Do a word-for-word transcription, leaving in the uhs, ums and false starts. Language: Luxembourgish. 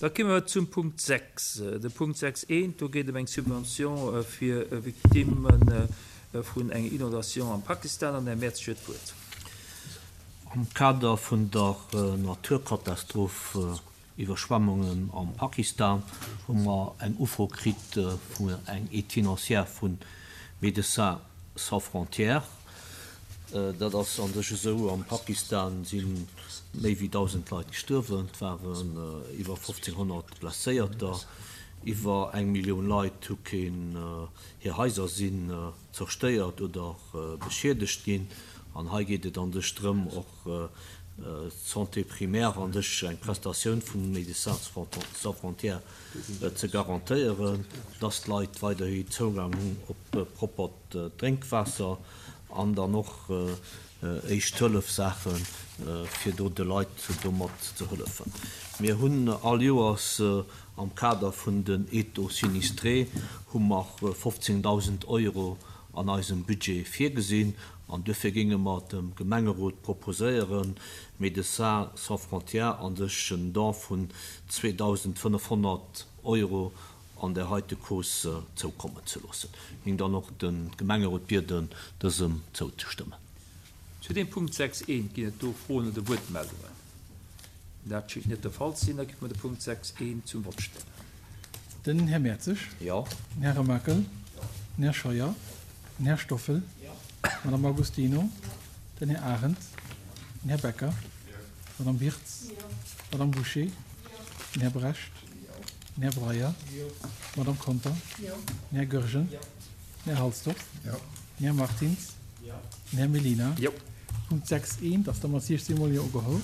Da komme mer zum Punkt sechs. De Punkt sechs eent, do geet et ëm eng Subvention fir Victimme vun enger Inondation am Pakistan. An den Här Mertzig huet d'Wuert. Am Kader vun der Naturkatastroph Iwwerschwemmungen am Pakistan hu mer eng Ufro kritt vun eng Aide financière vu Médecins sans frontières. Dat ass an sech esou, am Pakistan si méi wéi dausend Leit gestuerwen, et waren iwwer fofzénghonnert Blesséierter, iwwer eng Millioun Leit hu keen, hir Haiser sinn zerstéiert oder beschiedegt ginn. An hei geet et an sech drëm, och d'Santé primaire an sech eng Prestatioun vun Médecins sans frontières ze garantéieren, dass d'Leit weiderhi Zougang hunn op proppert Drénkwaasser an dann och Éischt-Hëllef-Saachen, fir do de Leit domat ze hëllefen. Mir hunn all Joers am Kader vun den Aides aux sinistrés hu mer fofzéngdausend Euro an eisem Budget virgesinn an duerfir géinge mer dem Gemengerot proposéieren, Médecins sans frontières an sech en Don vun zweedausendfënnefhonnert Euro an där heite Cause zoukommen ze loossen. Géing dann och de Gemengerot bieden, dësem zouzestëmmen. Zu deem Punkt sechs eent ginn et do Froen oder Wuertmeldungen? Dat schéngt net de Fall ze sinn. Da géife mer de Punkt sechs eent zum Vott stellen. Den Här Mertzig. Jo. Den Här Remakel. Den Här Scheuer. Den Här Stoffel. D'Madame Agostino. Den Här Arendt. Den Här Becker. D'Madame Wirtz. D'Madame Bouché. Den Här Brecht. Den Här Breyer. D'Madame Conter. Den Här Goergen. Den Här Halsdorf. Den Här Martins. Den Här Mellina. Punkt sechs eent ass da mat siechzéng Mol Jo ugeholl.